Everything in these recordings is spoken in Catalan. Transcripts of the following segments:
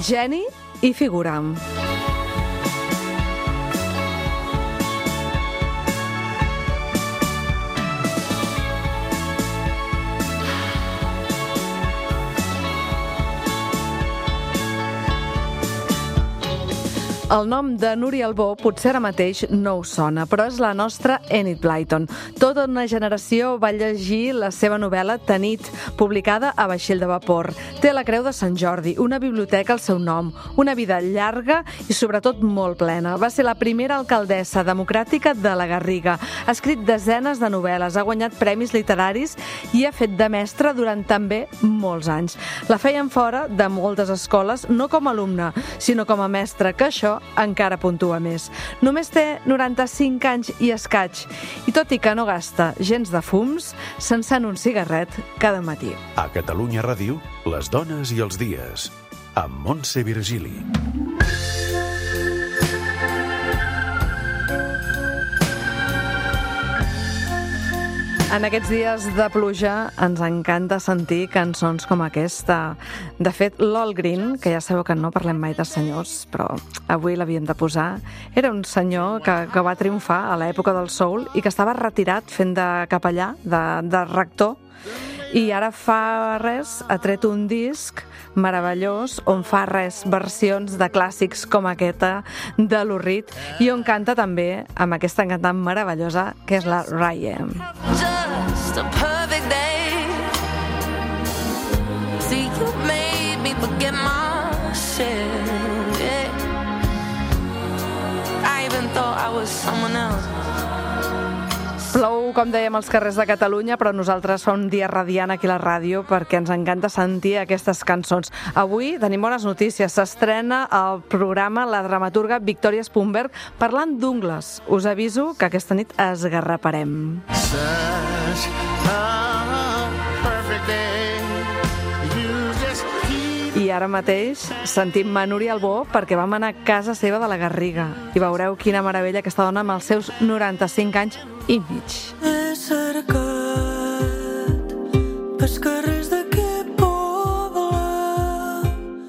Geni i figura. El nom de Núria Albó potser ara mateix no us sona, però és la nostra Enid Blyton. Tota una generació va llegir la seva novel·la Tanit, publicada a vaixell de vapor. Té la Creu de Sant Jordi, una biblioteca al seu nom, una vida llarga i sobretot molt plena. Va ser la primera alcaldessa democràtica de la Garriga. Ha escrit desenes de novel·les, ha guanyat premis literaris i ha fet de mestra durant també molts anys. La feien fora de moltes escoles, no com a alumna, sinó com a mestra, que això encara puntua més. Només té 95 anys i escaig, i tot i que no gasta gens de fums, s'encén un cigarret cada matí. A Catalunya Ràdio, les dones i els dies, amb Montse Virgili. En aquests dies de pluja ens encanta sentir cançons com aquesta. De fet, l'All Green, que ja sabeu que no parlem mai de senyors, però avui l'havíem de posar, era un senyor que va triomfar a l'època del soul i que estava retirat fent de capellà, de rector, i ara fa res ha tret un disc meravellós on fa versions de clàssics com aquesta de Lou Reed i on canta també amb aquesta cantant meravellosa que és la Ryan. Just a perfect day. See, you made me forget myself. Yeah. I even thought I was someone else. Plou, com dèiem, als carrers de Catalunya, però nosaltres fa un dia radiant aquí a la ràdio perquè ens encanta sentir aquestes cançons. Avui tenim bones notícies. S'estrena al programa la dramaturga Victòria Spunberg parlant d'ungles. Us aviso que aquesta nit esgarraparem. I ara mateix sentim Núria Albó perquè vam anar a casa seva de la Garriga i veureu quina meravella aquesta dona amb els seus 95 anys i mig. He cercat pels carrers d'aquest poble.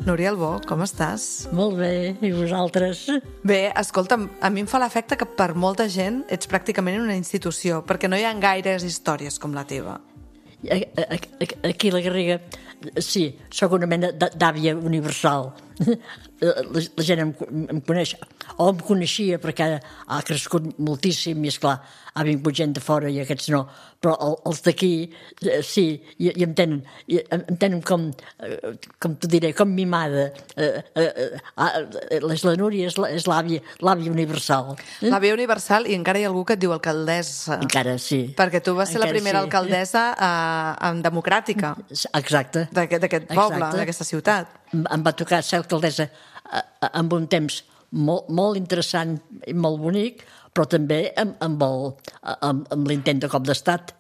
Núria Albó, com estàs? Molt bé, i vosaltres? Bé, escolta'm, a mi em fa l'efecte que per molta gent ets pràcticament una institució, perquè no hi ha gaires històries com la teva. Aquí a la Garriga, sí, sóc una mena d'àvia universal. La gent em coneix, o em coneixia perquè ha crescut moltíssim i, esclar, ha vingut gent de fora i aquests no, però els d'aquí sí, i em tenen com t'ho diré, com mimada. La Núria és l'àvia universal. L'àvia universal, i encara hi ha algú que et diu alcaldessa. Encara sí. Perquè tu vas ser la primera alcaldessa democràtica. Exacte. D'aquest poble, d'aquesta ciutat. Em va tocar ser alcaldessa amb un temps molt interessant i molt bonic, però també amb l'intent de cop d'estat,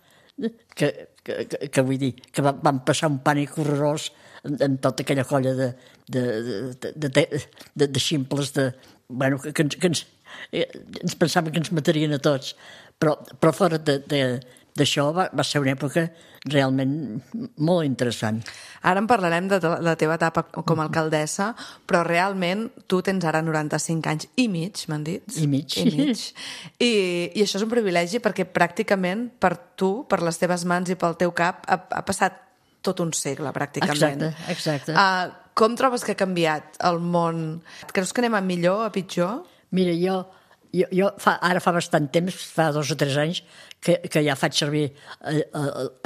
que vull dir, que vam passar un pànic horrorós en tota aquella colla de ximples, que ens pensaven que ens matarien a tots, però fora d'això va ser una època realment molt interessant. Ara en parlarem de la teva etapa com a alcaldessa, però realment tu tens ara 95 anys i mig, m'han dit? I mig. I això és un privilegi perquè pràcticament per tu, per les teves mans i pel teu cap, ha passat tot un segle, pràcticament. Exacte. Com trobes que ha canviat el món? Creus que anem a millor, a pitjor? Mira, jo ara fa bastant temps, fa 2 o 3 anys, que ja faig servir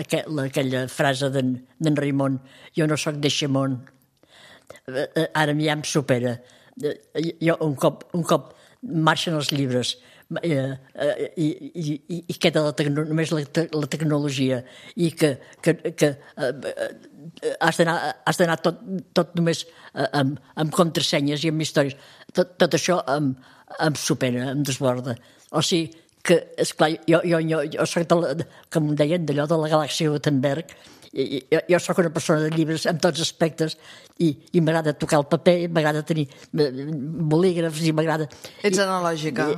aquella frase d'en Raimon, jo no sóc d'Eixamont. Ara ja em supera. Jo un cop marxen els llibres i queda només la tecnologia i que has d'anar tot només amb contrasenyes i amb històries. Tot això em supera, em desborda. O sigui que, esclar, jo soc, com em deien, d'allò de la galàxia Gutenberg, jo soc una persona de llibres en tots aspectes i m'agrada tocar el paper, m'agrada tenir bolígrafs i m'agrada... Ets analògica.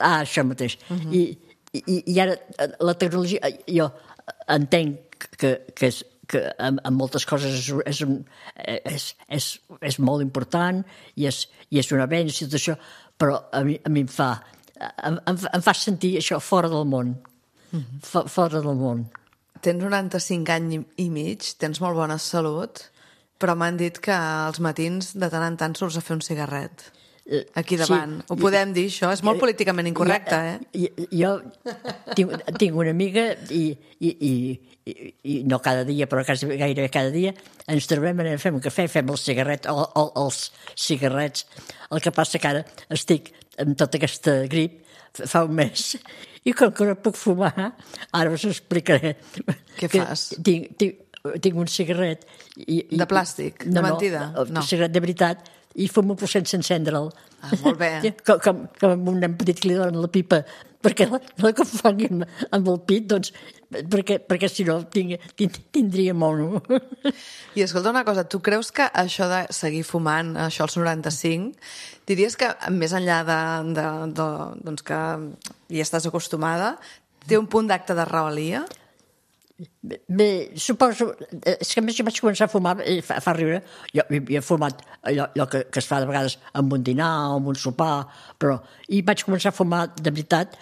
Això mateix. I ara la tecnologia, jo entenc que és en moltes coses és molt important i és un avenç i tot això, però a mi em fa sentir això fora del món. Fora del món. Tens 95 anys i mig, tens molt bona salut, però m'han dit que als matins de tant en tant surts a fer un cigarret. Aquí davant. Ho podem dir, això? És molt políticament incorrecte, Jo tinc una amiga i no cada dia, però gairebé cada dia, ens trobem, anem a fer un cafè, fem els cigarrets. El que passa que ara estic amb tota aquesta grip fa un mes i com que no puc fumar, ara us explicaré. Què fas? Tinc un cigarret. De plàstic? De mentida? No, un cigarret de veritat, i fumo però sense encendre'l. Molt bé. Com un nen petit que li donen la pipa perquè la confongui amb el pit, doncs, perquè si no tindria mono. I escolta una cosa, tu creus que això de seguir fumant, això als 95, diries que més enllà doncs que hi estàs acostumada, té un punt d'acte de rebel·lia? Bé, suposo... És que a més jo vaig començar a fumar, fa riure, jo he fumat allò que es fa de vegades amb un dinar o amb un sopar, però... I vaig començar a fumar de veritat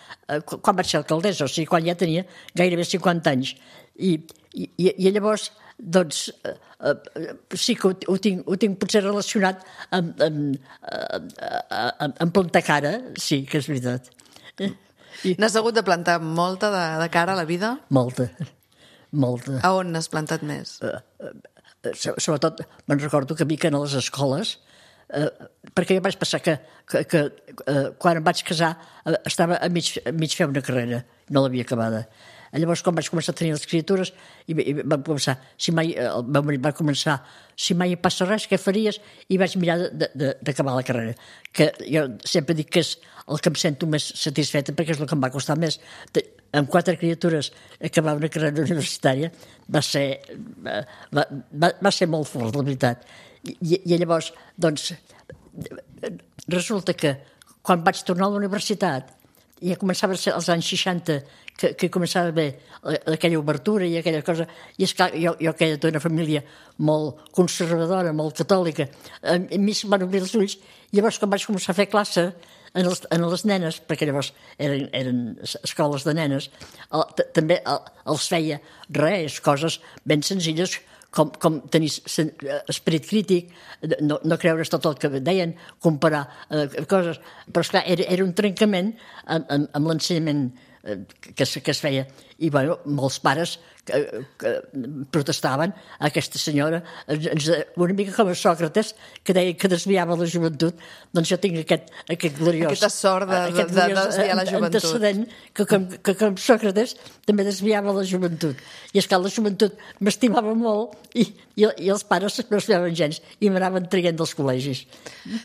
quan vaig ser alcaldessa, o sigui, quan ja tenia gairebé 50 anys. I llavors, doncs, sí que ho tinc potser relacionat amb plantar cara, sí, que és veritat. N'has hagut de plantar molta de cara a la vida? Molta. A on n'has plantat més? Sobretot me'n recordo que a les escoles, perquè jo vaig passar que quan em vaig casar estava a mig fer una carrera, no l'havia acabada. Llavors, quan vaig començar a tenir les criatures, i vam començar, el meu marit va començar, si mai passa res, què faries? I vaig mirar d'acabar la carrera. Que jo sempre dic que és el que em sento més satisfeta, perquè és el que em va costar més. Amb 4 criatures acabar una carrera universitària va ser molt fort, la veritat. I llavors, doncs, resulta que quan vaig tornar a la universitat, ja començava a ser als anys 60, que començava a haver aquella obertura i aquella cosa, i esclar, jo que era d'una família molt conservadora, molt catòlica, a mi se'm van obrir els ulls, i llavors quan vaig començar a fer classe en les nenes, perquè llavors eren escoles de nenes, també els feia coses ben senzilles, com tenir esperit crític, no creure's tot el que deien, comparar coses, però esclar, era un trencament amb l'ensenyament que es feia. I bueno, molts pares que protestaven a aquesta senyora, una mica com a Sòcrates, que deia que desviava la joventut. Doncs jo tinc aquest gloriós... Aquesta sort de desviar la joventut. Antecedent, que com Sòcrates també desviava la joventut. I és que la joventut m'estimava molt i els pares no estimaven gens i m'anaven traient dels col·legis.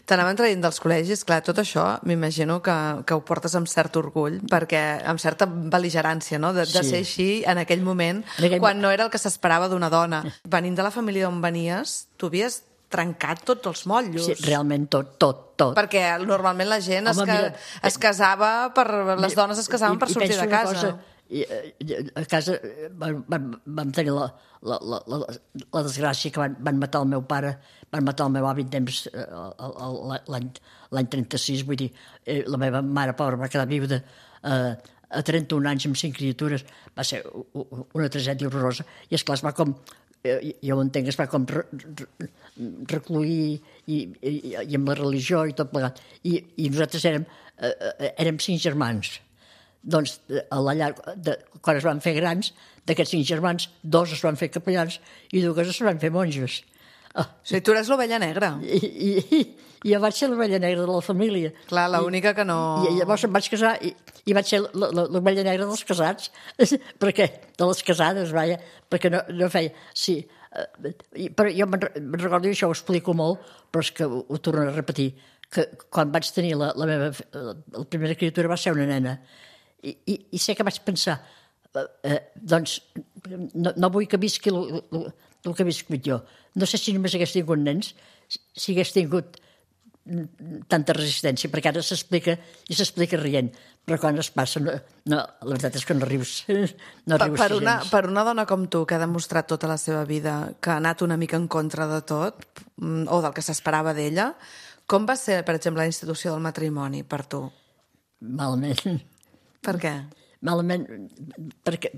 T'anaven traient dels col·legis, clar, tot això m'imagino que ho portes amb cert orgull, perquè amb certa bel·ligerància, no?, de ser així en aquell moment, quan no era el que s'esperava d'una dona. Venint de la família d'on venies, tu havies trencat tots els motllos. Sí, realment tot. Perquè normalment la gent es casava les dones es casaven per sortir de casa. A casa vam tenir la desgràcia que van matar el meu pare, van matar el meu avi temps l'any 36, vull dir, la meva mare pobra va quedar viuda a 31 anys amb 5 criatures, va ser una tragèdia horrorosa, i esclar, es va com, jo ho entenc, es va com recluir i amb la religió i tot plegat, i nosaltres érem 5 germans. Doncs a la llar, quan es van fer grans, d'aquests 5 germans, 2 es van fer capellans i 2 es van fer monges. O sigui, tu eres l'ovella negra. I jo vaig ser l'ovella negra de la família. Clar, l'única que no... I llavors em vaig casar i vaig ser l'ovella negra dels casats, perquè de les casades, vaja, perquè no feia... Sí, però jo me'n recordo, i això ho explico molt, però és que ho torno a repetir, que quan vaig tenir la primera criatura va ser una nena, i sé que vaig pensar, doncs, no vull que visqui el que he viscut jo. No sé si només hagués tingut nens, si hagués tingut tanta resistència, perquè ara s'explica rient, però quan es passa, la veritat és que no rius. No rius gens. Per una dona com tu, que ha demostrat tota la seva vida que ha anat una mica en contra de tot, o del que s'esperava d'ella, com va ser, per exemple, la institució del matrimoni per tu? Malament. Per què? Malament,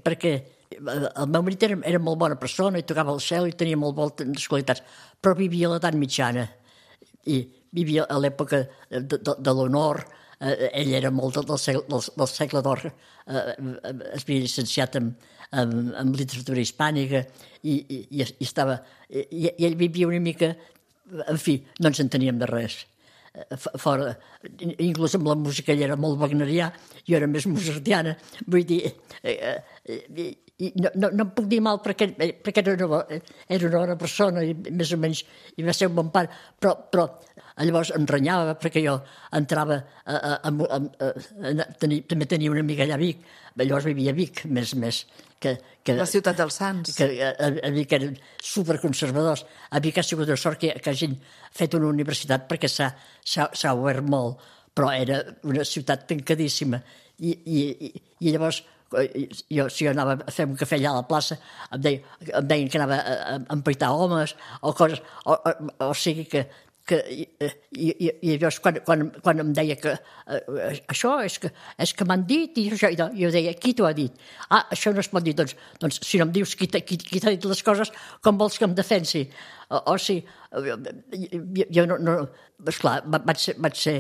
perquè el meu marit era molt bona persona i tocava el cel i tenia molt bones qualitats, però vivia a l'edat mitjana i vivia a l'època de l'honor. Ell era molt del segle d'or, es havia llicenciat en literatura hispànica i ell vivia una mica, en fi, no ens enteníem de res. Fora, inclús amb la música ell era molt wagnerià, jo era més mozartiana, vull dir, no em puc dir mal perquè era una bona persona i més o menys i va ser un bon pare, però llavors em renyava perquè jo entrava també tenia una amiga allà a Vic, llavors vivia a Vic més que la ciutat dels Sants, que a Vic eren superconservadors. A Vic ha sigut una sort que hagin fet una universitat perquè s'ha obert molt, però era una ciutat tancadíssima i llavors si jo anava a fer un cafè allà a la plaça em deien que anava a empaitar homes o coses, o sigui que i llavors quan em deia que això és que m'han dit i això, jo deia, qui t'ho ha dit? Això no es pot dir, doncs si no em dius qui t'ha dit les coses, com vols que em defensi? O sigui, jo no esclar, vaig ser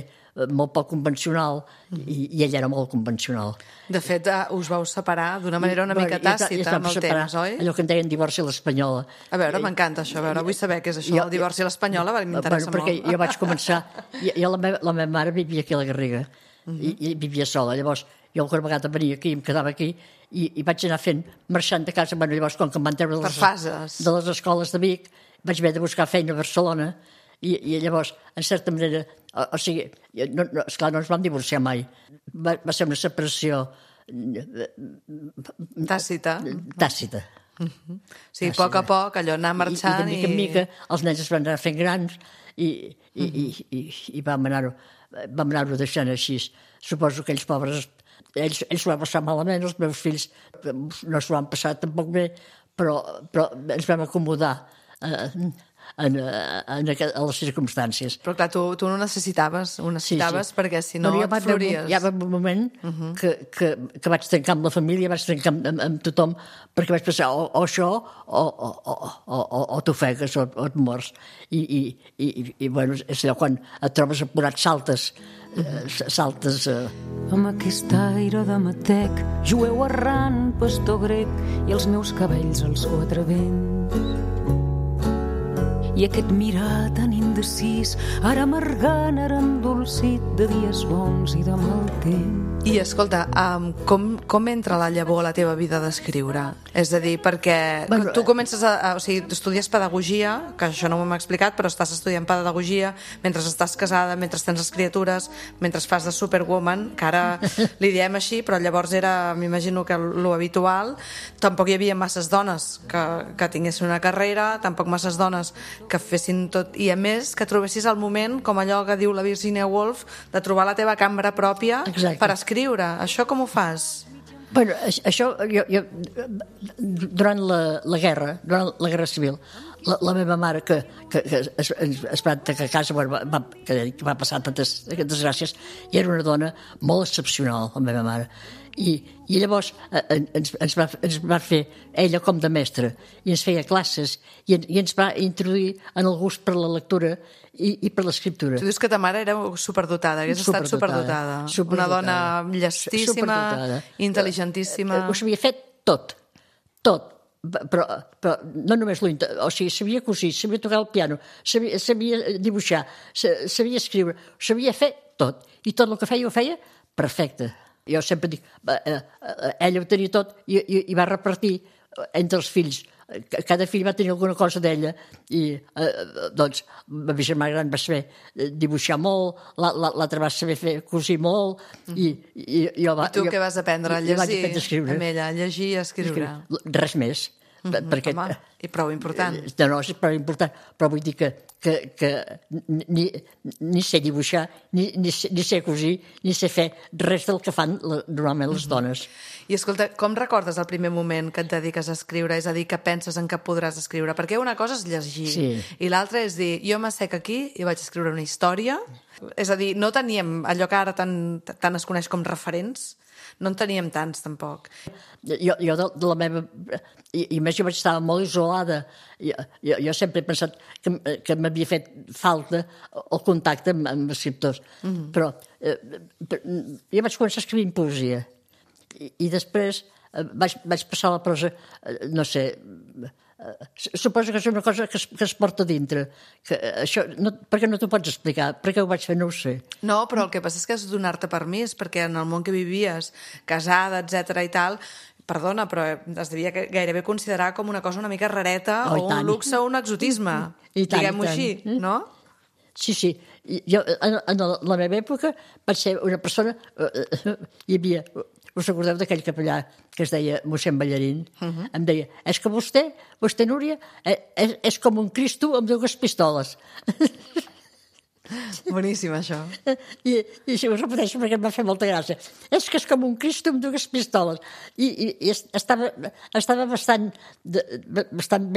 molt poc convencional i ell era molt convencional. De fet, us vau separar d'una manera una mica tàcita amb el temps, oi? Allò que en deien divorci a l'espanyola. A veure, m'encanta això, vull saber què és això, el divorci a l'espanyola, m'interessa molt. Perquè jo vaig començar, la meva mare vivia aquí a la Garriga i vivia sola, llavors jo alguna vegada venia aquí, em quedava aquí i vaig anar marxant de casa, llavors com que em van treure de les escoles de Vic, vaig haver de buscar feina a Barcelona i llavors, en certa manera, o sigui, esclar, no ens vam divorciar mai. Va ser una separació tàcita. Sí, a poc a poc, allò anar marxant i... de mica en mica, els nens es van anar fent grans i vam anar-ho deixant així. Suposo que ells pobres, ells s'ho van passar malament, els meus fills no s'ho van passar tampoc bé, però ens vam acomodar a les circumstàncies. Però clar, tu no necessitaves, perquè si no et flories. Hi ha un moment que vaig trencar amb la família, vaig trencar amb tothom, perquè vaig pensar o això o t'ofegues o et mors. I bueno, és allò quan et trobes apurat saltes amb aquest aire de matec, jueu errant, pastor grec i els meus cabells als quatre vents. I aquest mirar tan indecis, ara amargant, ara endolcit de dies bons i de mal temps. I escolta, com entra la llavor a la teva vida d'escriure? És a dir, perquè tu comences o sigui, estudies pedagogia, que això no m'ho hem explicat, però estàs estudiant pedagogia mentre estàs casada, mentre tens les criatures, mentre fas de Superwoman, que ara li diem així, però llavors era, m'imagino que lo habitual. Tampoc hi havia masses dones que tinguessin una carrera, tampoc masses dones que fessin tot, i a més que trobessis el moment, com allò que diu la Virginia Woolf, de trobar la teva cambra pròpia. Exacte. Per escriure. Això com ho fas? Bueno, això jo durant la guerra civil, la meva mare que es va tancar a casa, que va passar tantes desgràcies, i era una dona molt excepcional, la meva mare. I llavors ens va fer ella com de mestra i ens feia classes i ens va introduir en el gust per la lectura i per l'escriptura. Tu dius que ta mare era superdotada, hagués estat superdotada. Una dona llestíssima, intel·ligentíssima. Ho sabia fet tot, però no només o sigui, sabia cosir, sabia tocar el piano, sabia dibuixar, sabia escriure, sabia fer tot, i tot el que feia ho feia perfecte. Jo sempre dic, ella ho tenia tot i va repartir entre els fills. Cada fill va tenir alguna cosa d'ella i doncs la meva germana gran va saber dibuixar molt, l'altra va saber cosir molt i jo tu què vas aprendre? A llegir amb ella, a llegir i a escriure? Res més. perquè... Home, i prou important. No, és prou important, però vull dir que ni sé dibuixar, ni sé cosir, ni sé fer res del que fan normalment les dones. I escolta, com recordes el primer moment que et dediques a escriure? És a dir, que penses en què podràs escriure? Perquè una cosa és llegir, i l'altra és dir, jo m'assec aquí i vaig escriure una història. És a dir, no teníem allò que ara tant es coneix com referents, no en teníem tants, tampoc. Jo de la meva... I més, jo estava molt isolada. Jo sempre he pensat que m'havia fet falta el contacte amb escriptors. Però jo vaig començar escrivint poesia. I després vaig passar a la prosa, no sé... Suposo que és una cosa que es porta dintre. Perquè no t'ho pots explicar. Per què ho vaig fer no ho sé. No, però el que passa és que has de donar-te permís, perquè en el món que vivies, casada, etc i tal, perdona, però es devia gairebé considerar com una cosa una mica rareta, o un luxe o un exotisme, diguem-ho així, no? Sí. Jo, en la meva època, vaig ser una persona... Hi havia... Us recordeu d'aquell capellà que es deia mossèn Ballarín? Em deia, és que vostè, Núria, és com un Cristo amb dues pistoles. Boníssim, això. I això ho repeteixo perquè em va fer molta gràcia. És que és com un Cristo amb dues pistoles. I estava bastant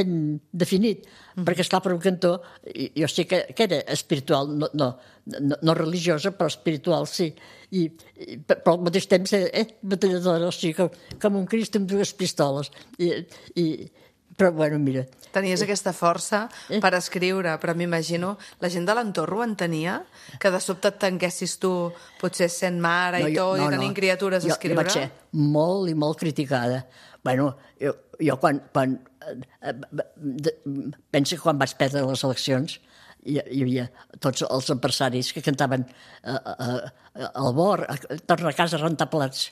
ben definit, perquè, esclar, per un cantó, jo sé que era espiritual, no religiosa, però espiritual, sí. Però al mateix temps, batalladora, o sigui, com un Cristo amb dues pistoles. Però, bueno, mira... Tenies aquesta força per escriure, però m'imagino, la gent de l'entorn ho entenia? Que de sobte et tanquessis tu, potser sent mare i tot, i tenint criatures a escriure? Jo vaig ser molt i molt criticada. Bueno, jo quan penso que quan vaig perdre les eleccions hi havia tots els empresaris que cantaven al bord, torna a casa a rentar plats.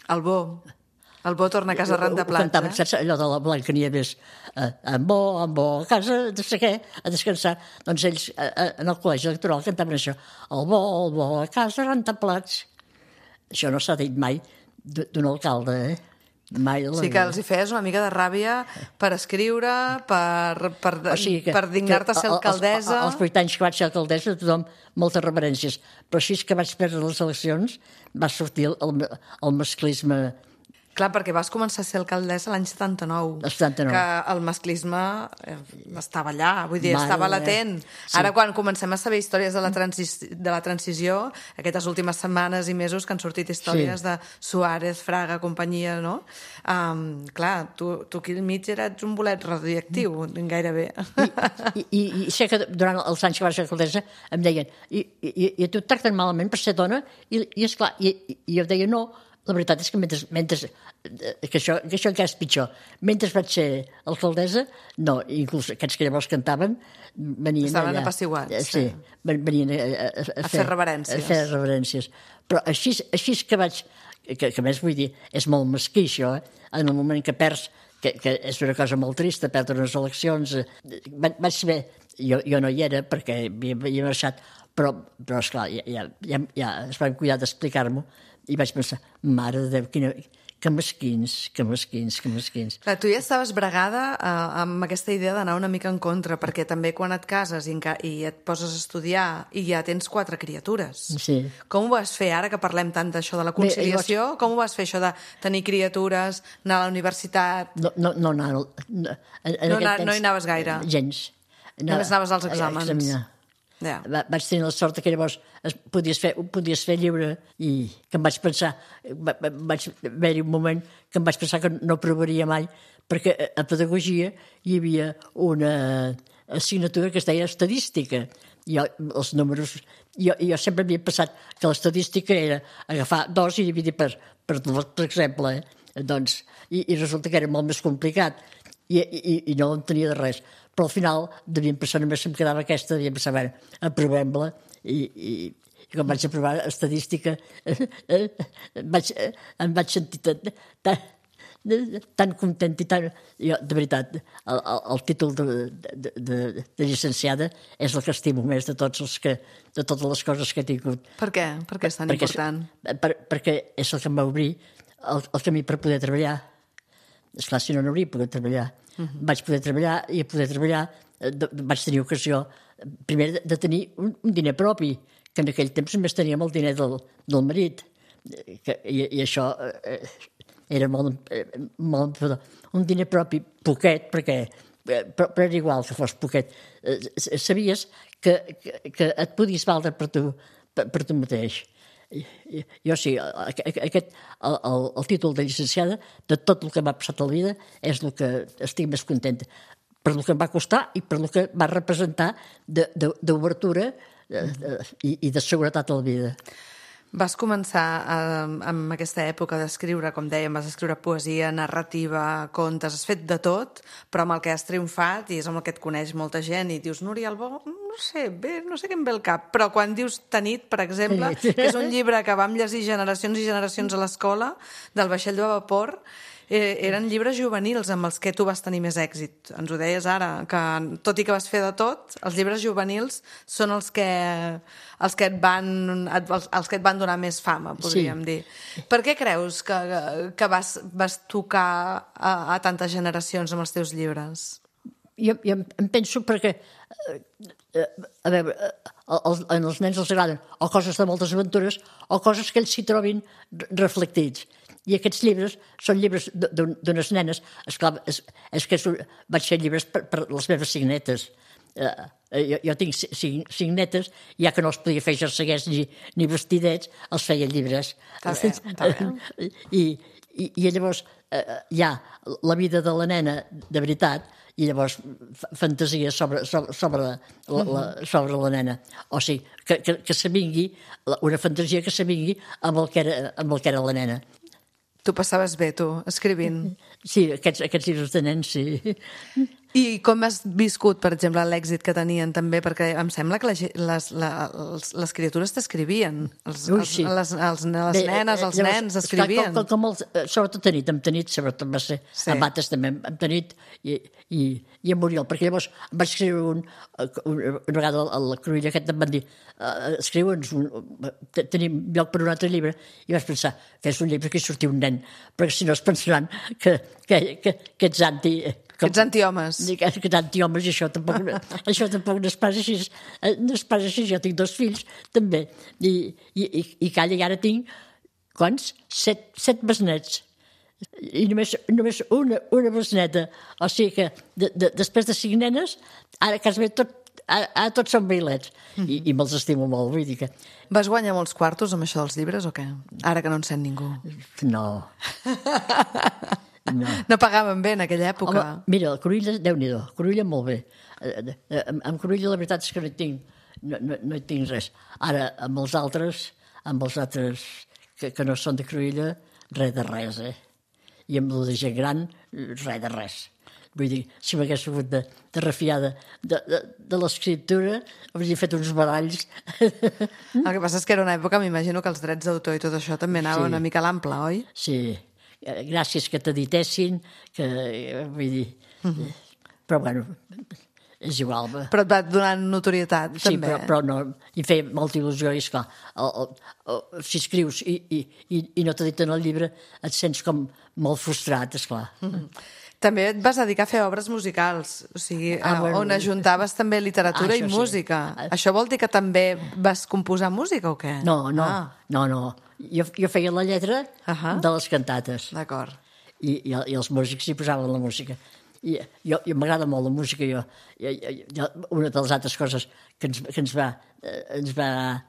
El bo torna a casa a rentar plats. Ho cantaven, saps, allò de la Blancanieves, en bo, a casa, no sé què, a descansar. Doncs ells, en el col·legi electoral, cantaven això, el bo, a casa a rentar plats. Això no s'ha dit mai d'un alcalde, mai. Sí que els hi feies una mica de ràbia per escriure, per dignar-te a ser alcaldessa. Els 8 anys que vaig ser alcaldessa, tothom moltes reverències. Però així que vaig perdre les eleccions, va sortir el masclisme. Clar, perquè vas començar a ser alcaldessa l'any 79. El 79. Que el masclisme estava allà, vull dir, estava latent. Sí. Ara, quan comencem a saber històries de la transició, aquestes últimes setmanes i mesos que han sortit històries de Suárez, Fraga, companyia, no? Clar, tu aquí al mig eres un bolet radioactiu, gairebé. I sé que durant els anys que vaig ser alcaldessa em deien, i a tu et tracten malament per ser dona? I esclar, i jo deia no. La veritat és que mentre que això encara és pitjor. Mentre vaig ser alcaldessa, no, inclús aquests que llavors cantaven venien estaven allà. apaciguats. Sí, venien a fer reverències. A fer reverències. Però així que vaig... Que a més, vull dir, és molt mesquí, això, en el moment que perds, que és una cosa molt trista, perdre unes eleccions. Vaig saber... Jo no hi era, perquè havia marxat, però esclar, ja es van cuidar d'explicar-m'ho, i vaig pensar, mare de Déu, que mesquins. Clar, tu ja estaves bregada amb aquesta idea d'anar una mica en contra, perquè també quan et cases i et poses a estudiar i ja tens 4 criatures. Sí. Com ho vas fer, ara que parlem tant d'això de la conciliació? Com ho vas fer, això de tenir criatures, anar a la universitat? No hi anaves gaire? Gens. Només anaves als exàmens? A examinar. Yeah. Vaig tenir la sort que llavors podies fer lliure i que em vaig pensar, vaig haver-hi un moment que em vaig pensar que no provaria mai, perquè a pedagogia hi havia una assignatura que es deia estadística. Els números... Jo sempre havia pensat que l'estadística era agafar 2 i dividir per exemple. Doncs, i resulta que era molt més complicat i no entenia de res. Però al final devien pensar, només em quedava aquesta, devien pensar, bueno, aprovem-la, i quan vaig aprovar estadística em vaig sentir tan content i tan... Jo, de veritat, el títol de llicenciada és el que estimo més de totes les coses que he tingut. Per què? Per què és tan important? Perquè és el que em va obrir el camí per poder treballar. Esclar, si no hauria pogut treballar. vaig poder treballar i a poder treballar vaig tenir ocasió primer de tenir un diner propi, que en aquell temps només teníem el diner del marit. I això era molt un diner propi poquet, però era igual que fos poquet. Sabies que et podies valdre per tu mateix. Jo sí, el títol de llicenciada, de tot el que m'ha passat a la vida, és el que estic més contenta, per el que em va costar i per el que va representar d'obertura i de seguretat a la vida. Vas començar amb aquesta època d'escriure, com dèiem, vas escriure poesia, narrativa, contes, has fet de tot, però amb el que has triomfat, i és amb el que et coneix molta gent, i dius, Núria Albó, no sé què em ve al cap, però quan dius Tanit, per exemple, que és un llibre que vam llegir generacions i generacions a l'escola, del vaixell de vapor, eren llibres juvenils amb els que tu vas tenir més èxit. Ens ho deies ara, que tot i que vas fer de tot, els llibres juvenils són els que et van donar més fama, podríem dir. Per què creus que vas tocar a tantes generacions amb els teus llibres? Jo em penso perquè, a veure, als nens els agraden o coses de moltes aventures o coses que ells s'hi trobin reflectits. I aquests llibres són llibres d'unes nenes. Esclar, és que vaig fer llibres per les meves 5 netes. Jo tinc 5 netes, ja que no els podia fer jerseguers ni vestidets, els feia llibres. Està bé. I llavors hi ha la vida de la nena de veritat i llavors fantasia sobre la nena. O sigui, que s'avingui, una fantasia que s'avingui amb el que era la nena. Tu passaves bé, tu, escrivint. Sí, aquests llibres de nens, sí. I com has viscut, per exemple, l'èxit que tenien també? Perquè em sembla que les criatures t'escrivien. Les nenes, els nens escrivien. Sobretot amb Tanit, sobretot va ser a Mates també, amb Tanit i a Muriel, perquè llavors em vaig escriure una vegada a la Cruïlla aquest em van dir escriu'ns, tenim lloc per un altre llibre, i vaig pensar, fes un llibre que hi surti un nen, perquè si no es pensaran que ets anti... Que ets antihomes. Que ets antihomes, i això tampoc no es passa així. No es passa així, jo tinc 2 fills, també. I calla, i ara tinc, quants? 7 besnets. I només una besneta. O sigui que després de 5 nenes, ara quasi bé tots són bailets. I me'ls estimo molt, vull dir que... Vas guanyar molts quartos amb això dels llibres o què? Ara que no en sent ningú. No. No pagaven bé en aquella època. Home, mira, el Cruïlla, Déu-n'hi-do, Cruïlla molt bé. Amb Cruïlla la veritat és que no hi tinc res. Ara, amb els altres que no són de Cruïlla, res de res, I amb la gent gran, res de res. Vull dir, si m'hagués hagut de refiar de l'escriptura, hauria fet uns baralls. El que passa és que era una època, m'imagino que els drets d'autor i tot això també anava una mica a l'ample, oi? Sí, gràcies que t'editessin, que vull dir... Però bueno, és igual. Però et va donant notorietat, també. Sí, però no, em feia molta il·lusió, i esclar, si escrius i no t'editen el llibre, et sents com molt frustrat, esclar. També et vas dedicar a fer obres musicals, o sigui, on ajuntaves també literatura i música. Això vol dir que també vas composar música o què? No. Jo feia la lletra de les cantates. D'acord. I els músics hi posaven la música. I m'agrada molt la música. Una de les altres coses que ens va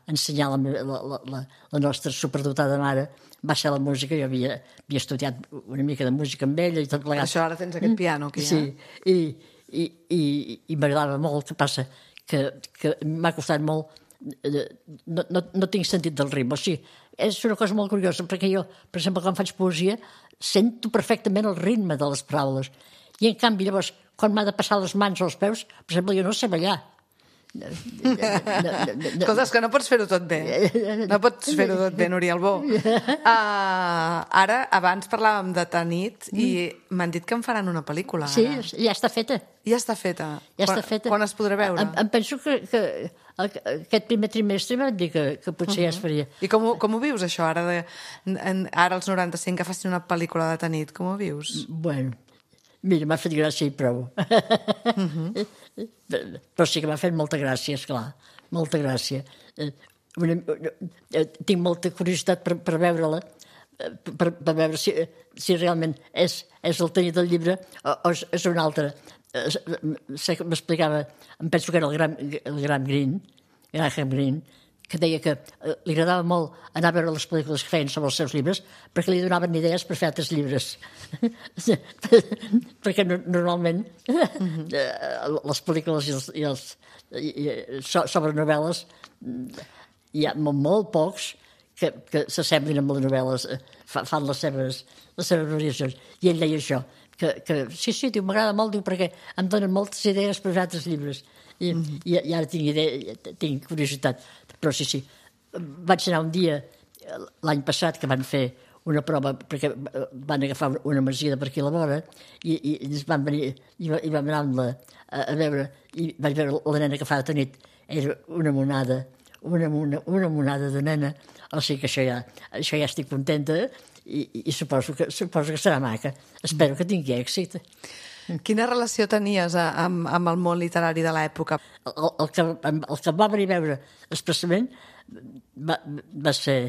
ensenyar la nostra superdotada mare va ser la música. Jo havia estudiat una mica de música amb ella i tot plegat. Per això ara tens aquest piano aquí, Sí, i m'agradava molt. Que passa que m'ha costat molt. No tinc sentit del ritme. O sigui, és una cosa molt curiosa, perquè jo, per exemple, quan faig poesia, sento perfectament el ritme de les paraules. I, en canvi, llavors, quan m'ha de passar les mans als peus, per exemple, jo no sé ballar. Escolta, és que no pots fer-ho tot bé. No pots fer-ho tot bé, Núria Albó. Ara, abans parlàvem de Tanit i m'han dit que en faran una pel·lícula. Sí, ja està feta. Ja està feta. Quan es podrà veure? Em penso que aquest primer trimestre m'han dit que potser ja es faria. I com ho vius, això, ara als 95, que facin una pel·lícula de Tanit? Com ho vius? Bueno, Mira, m'ha fet gràcia i prou. Però sí que m'ha fet molta gràcia, esclar. Molta gràcia. Tinc molta curiositat per veure-la, per veure si realment és el tenir del llibre o és un altre. M'explicava, em penso que era el Graham Greene, que deia que li agradava molt anar a veure les pel·lícules que feien sobre els seus llibres perquè li donaven idees per fer altres llibres. Perquè normalment les pel·lícules sobre novel·les hi ha molt pocs que s'assemblin amb les novel·les, fan les seves variacions. I ell deia això, que sí, diu, m'agrada molt, diu, perquè em donen moltes idees per fer altres llibres. I ara tinc curiositat. Però sí. Vaig anar un dia, l'any passat, que van fer una prova, perquè van agafar una masia de per aquí a la vora, i ens van venir, i vam anar amb a veure, i vaig veure la nena que fa de nit, era una monada de nena, o sigui que això ja estic contenta, i suposo que serà maca. Espero que tingui èxit. Quina relació tenies amb el món literari de l'època? El que em va venir a veure expressament va ser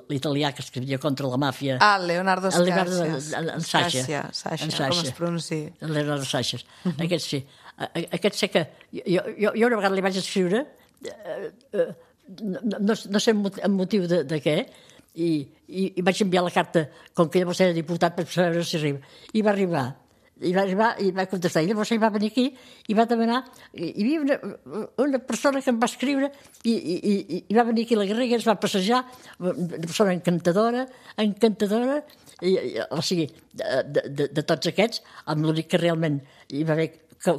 l'italià que escrivia contra la màfia. Leonardo Sciascia. Sciascia, com es pronuncia. Leonardo Sciascia. Aquest sí. Aquest sé que jo una vegada li vaig escriure, no sé el motiu de què, i vaig enviar la carta, com que llavors era diputat, per saber si arriba. I va arribar, i va contestar. I llavors ell va venir aquí i va demanar... Hi havia una persona que em va escriure i va venir aquí a la Garriga, ens va passejar, una persona encantadora, o sigui, de tots aquests, amb l'únic que realment hi va haver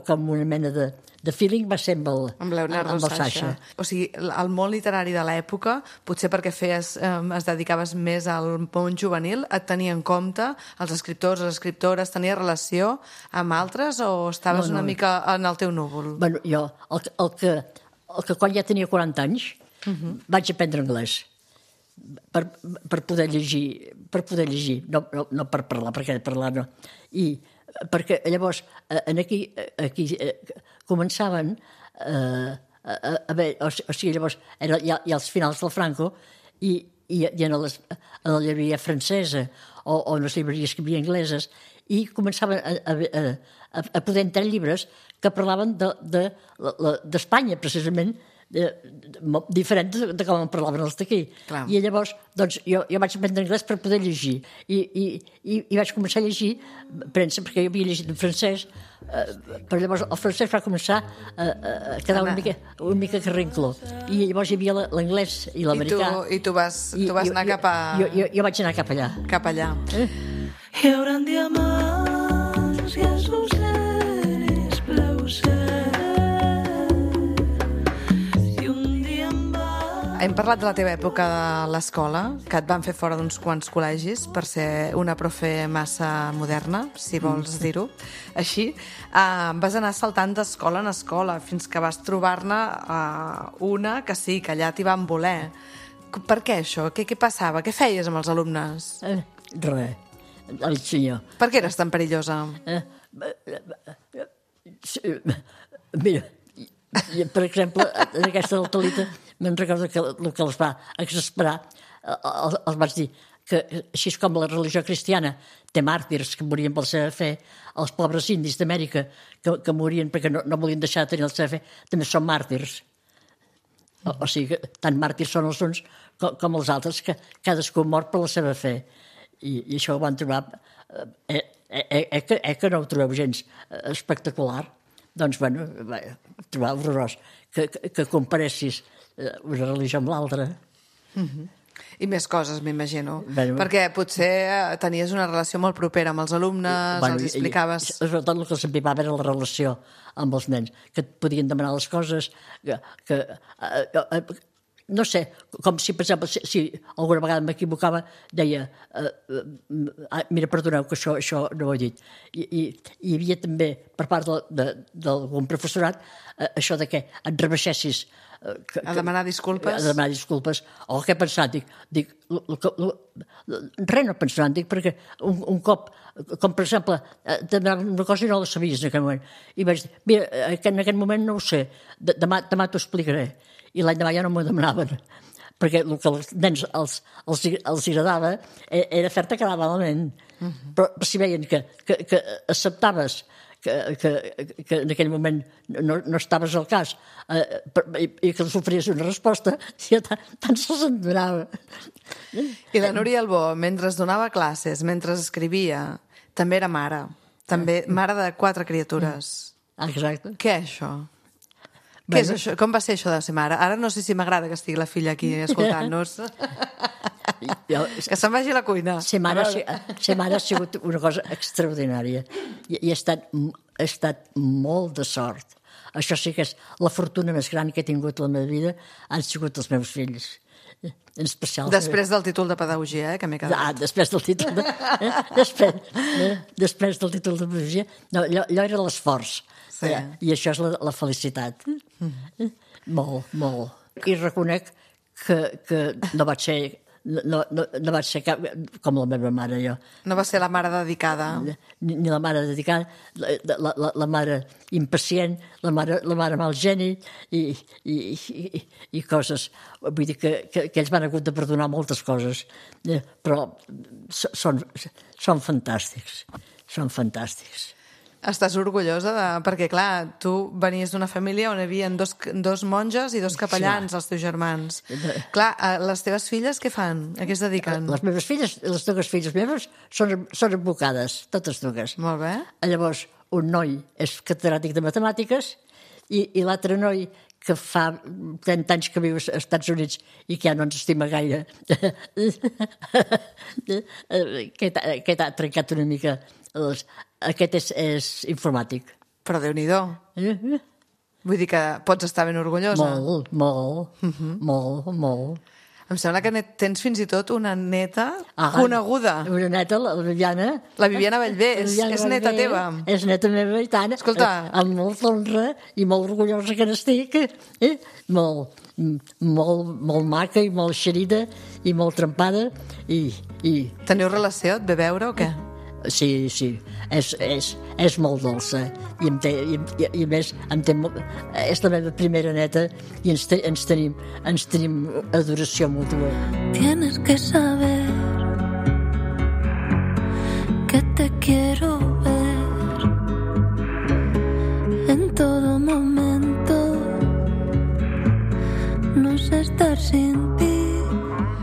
com una mena de feeling va ser amb Leonardo Sciascia. O sigui, el món literari de l'època, potser perquè es dedicaves més al món juvenil, et tenia en compte els escriptors, les escriptores, tenia relació amb altres o estaves una mica en el teu núvol? Bueno, jo, el que quan ja tenia 40 anys, vaig aprendre anglès per poder llegir, no per parlar, perquè parlar no. I perquè llavors aquí començaven a veure, o sigui, llavors era ja als finals del Franco i en la llibreria francesa o en les llibreries que hi havia angleses i començaven a poder entrar llibres que parlaven d'Espanya, precisament, diferent de com en parlaven els d'aquí. I llavors doncs, jo vaig aprendre anglès per poder llegir i vaig començar a llegir premsa, perquè jo havia llegit en francès, però llavors el francès va començar a quedar una mica carrincló i llavors hi havia l'anglès i l'americà. I tu vas anar cap a... Jo vaig anar cap allà. Cap allà. Hi haurà diamants i azuceres plaucer. Hem parlat de la teva època de l'escola, que et van fer fora d'uns quants col·legis per ser una profe massa moderna, si vols dir-ho així. Vas anar saltant d'escola en escola fins que vas trobar-ne una que sí, que allà t'hi van voler. Per què això? Què passava? Què feies amb els alumnes? Res, el senyor. Per què eres tan perillosa? Mira, per exemple, en aquesta del Talita me'n recordo que el que els va exasperar els vaig dir que així com la religió cristiana té màrtirs que morien per la seva fe, els pobres indis d'Amèrica que morien perquè no volien deixar de tenir la seva fe també són màrtirs. O sigui que tant màrtirs són els uns com els altres, que cadascú mor per la seva fe. I això ho van trobar que no ho trobeu gens espectacular. Doncs, bueno, trobar horrorós que comparessis una religió amb l'altra. I més coses, m'imagino. Perquè potser tenies una relació molt propera amb els alumnes, els explicaves... Sobretot el que s'empipava era la relació amb els nens, que et podien demanar les coses, que no sé, com si, per exemple, si alguna vegada m'equivocava, deia, mira, perdoneu, que això no ho he dit. I hi havia també, per part d'algun professorat, això de que et rebaixessis A demanar disculpes? A demanar disculpes. O què he pensat? Dic, res no he pensat, dic, perquè un cop, com per exemple, demanava una cosa i no la sabies en aquell moment. I vaig dir, mira, en aquest moment no ho sé, demà t'ho explicaré. I l'any demà ja no m'ho demanaven, perquè el que als nens els agradava era fer-te quedar malament. Però si veien que acceptaves que en aquell moment no estaves al cas i que els oferies una resposta, ja tant se'ls en donava. I la Núria Albó, mentre donava classes, mentre escrivia, també era mare. També mare de 4 criatures. Exacte. Què és això? Què és això? Com va ser això de ser mare? Ara no sé si m'agrada que estigui la filla aquí escoltant-nos. Que se'n vagi a la cuina. Ser mare ha sigut una cosa extraordinària. I he estat molt de sort. Això sí que és la fortuna més gran que he tingut a la meva vida, han sigut els meus fills. En especial. Després del títol de pedagogia, que m'he quedat. Després del títol després del títol de pedagogia. No, allò era l'esforç. Sí. I això és la felicitat. Molt, molt. I reconec que no vaig ser... No vaig ser com la meva mare, jo. No va ser la mare dedicada. Ni la mare dedicada, la mare impacient, la mare mal geni i coses. Vull dir que ells m'han hagut de perdonar moltes coses, però són fantàstics, són fantàstics. Estàs orgullosa perquè, clar, tu venies d'una família on hi havia dos monges i 2 capellans, els teus germans. Clar, les teves filles què fan? A què es dediquen? Les meves filles, les 2 filles meves, són advocades, totes 2. Molt bé. Llavors, un noi és catedràtic de matemàtiques i l'altre noi, que fa 30 anys que viu als Estats Units i que ja no ens estima gaire, que ha trencat una mica. Aquest és informàtic. Però Déu-n'hi-do. Vull dir que pots estar ben orgullosa. Molt. Em sembla que tens fins i tot una neta coneguda. Una neta, la Viviana. La Viviana Bellver, és neta teva. És neta meva i tant. Escolta. Amb molta honra i molt orgullosa que n'estic. Molt maca i molt xerida i molt trempada. Teniu relació? Et ve veure o què? Sí, és molt dolça i a més és la meva primera neta i ens tenim adoració mútua. Tienes que saber que te quiero ver en todo momento, no sé estar sin ti.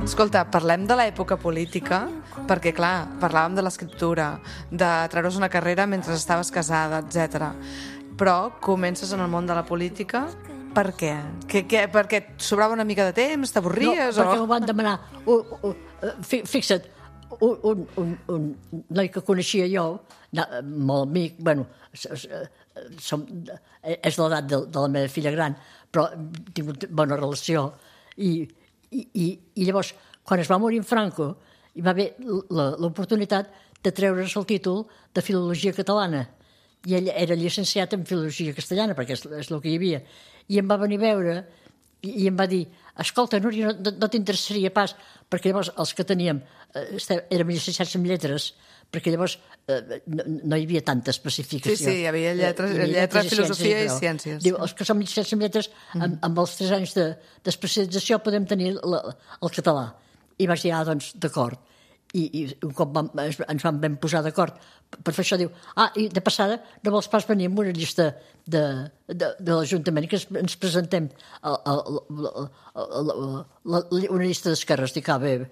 Escolta, parlem de l'època política, perquè, clar, parlàvem de l'escriptura, de treure's una carrera mentre estaves casada, etc. Però comences en el món de la política, per què? Perquè et sobrava una mica de temps, t'avorries? No, perquè m'ho van demanar. Fixa't, un noi que coneixia jo, molt amic, bueno, és l'edat de la meva filla gran, però he tingut bona relació, i llavors, quan es va morir en Franco, hi va haver l'oportunitat de treure's el títol de Filologia Catalana. I ell era llicenciat en Filologia Castellana, perquè és el que hi havia. I em va venir a veure i em va dir, escolta, Núria, no t'interessaria pas, perquè llavors els que teníem érem llicenciats en lletres, perquè llavors no hi havia tanta especificació. Sí, hi havia lletres, filosofia i ciències. Diu, els que som llicenciats en lletres, amb els 3 anys d'especialització podem tenir el català. I vaig dir, doncs, d'acord. I un cop ens vam posar d'acord per fer això, diu, i de passada no vols pas venir amb una llista de l'Ajuntament que ens presentem una llista d'esquerres. Dic, bé,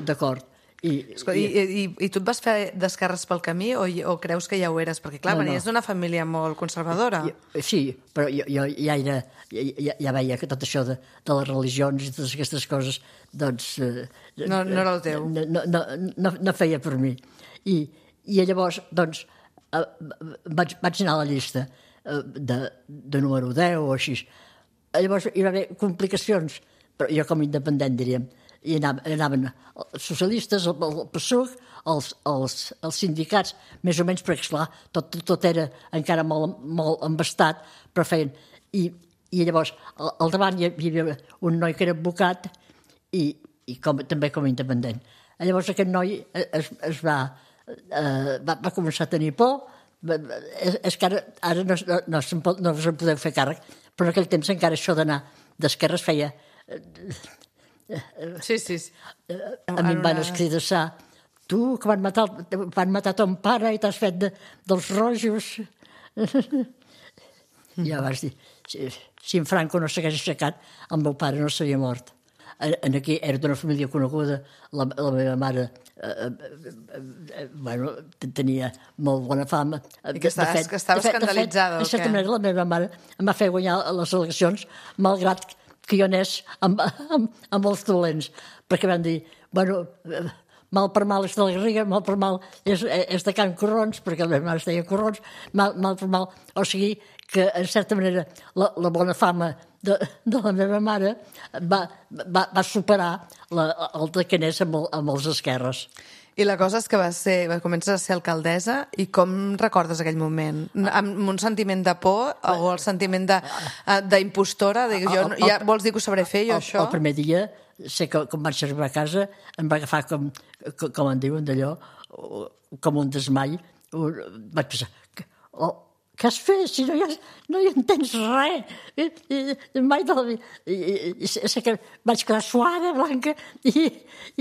d'acord. I tu et vas fer d'esquerres pel camí o creus que ja ho eres? Perquè, clar, venies d'una família molt conservadora. Sí, però jo ja veia que tot això de les religions i totes aquestes coses, doncs... No era el teu. No feia per mi. I llavors, doncs, vaig anar a la llista de número 10 o així. Llavors hi va haver complicacions però jo com a independent, diríem, i anaven els socialistes, el PSUC, els sindicats, més o menys, perquè, esclar, tot era encara molt embastat, però feien... I llavors, al davant hi havia un noi que era advocat i també com a independent. Llavors aquest noi es va començar a tenir por. És que ara no se'n podeu fer càrrec, però en aquell temps encara això d'anar d'esquerra es feia... Sí. A mi em van escridassar: tu, que van matar ton pare i t'has fet dels rojos. I ja vas dir, si en Franco no s'hagués aixecat, el meu pare no s'havia mort. Aquí era d'una família coneguda, la meva mare tenia molt bona fama. I que estava escandalitzada. De certa manera, la meva mare em va fer guanyar les eleccions, malgrat que jo anés amb els dolents, perquè van dir, mal per mal és de la Garriga, mal per mal és de Can Corrons, perquè la meva mare es deia Corrons, mal per mal, o sigui que, en certa manera, la bona fama de la meva mare va superar el de que anés amb els esquerres. I la cosa és que comences a ser alcaldessa, i com recordes aquell moment? Amb un sentiment de por o el sentiment d'impostora? Vols dir que ho sabré fer, jo, això? El primer dia, sé que quan vaig arribar a casa, em va agafar com en diuen d'allò, com un desmai. Vaig pensar, què has fet? Si no hi entens res. Mai de la vida. Sé que vaig quedar suada, blanca, i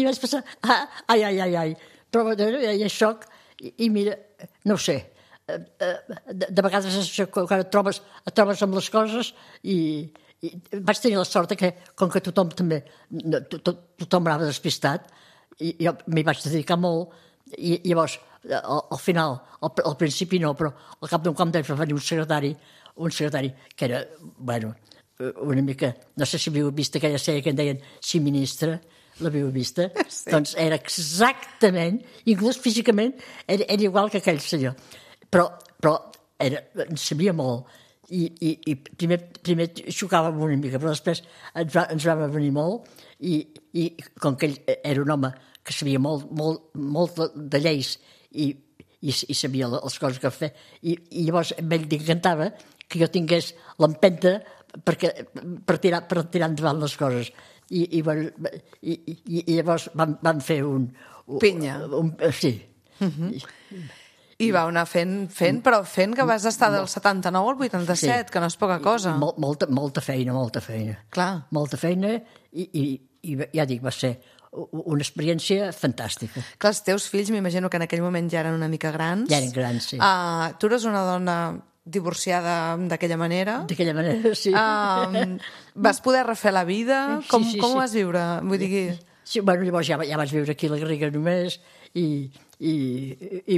vaig pensar, ai. Però hi ha xoc, i mira, no ho sé. De vegades quan et trobes amb les coses, i vaig tenir la sort que, com que tothom anava despistat, i jo m'hi vaig dedicar molt, i llavors, al final, al principi no, però al cap d'un quant d'ells va venir un secretari que era, una mica, no sé si havíeu vist aquella sèrie que en deien Si Ministre, l'havíeu vista? Sí. Doncs era exactament, inclús físicament, era igual que aquell senyor. Però en sabia molt, i primer xocàvem una mica, però després ens vam venir molt, i com que ell era un home que sabia molt de lleis i sabia les coses que fer, i llavors a ell li encantava que jo tingués l'empenta per tirar endavant les coses. I llavors van fer un... Pinya. Sí. I vau anar fent, però fent que vas estar del 79 al 87, que no és poca cosa. Molta feina. Clar. Molta feina, i ja dic, va ser una experiència fantàstica. Clar, els teus fills, m'imagino que en aquell moment ja eren una mica grans. Ja eren grans, sí. Tu eres una dona divorciada d'aquella manera. D'aquella manera, sí. Vas poder refer la vida? Com ho vas viure? Vull dir... Sí, llavors ja vaig viure aquí a la Garriga només, i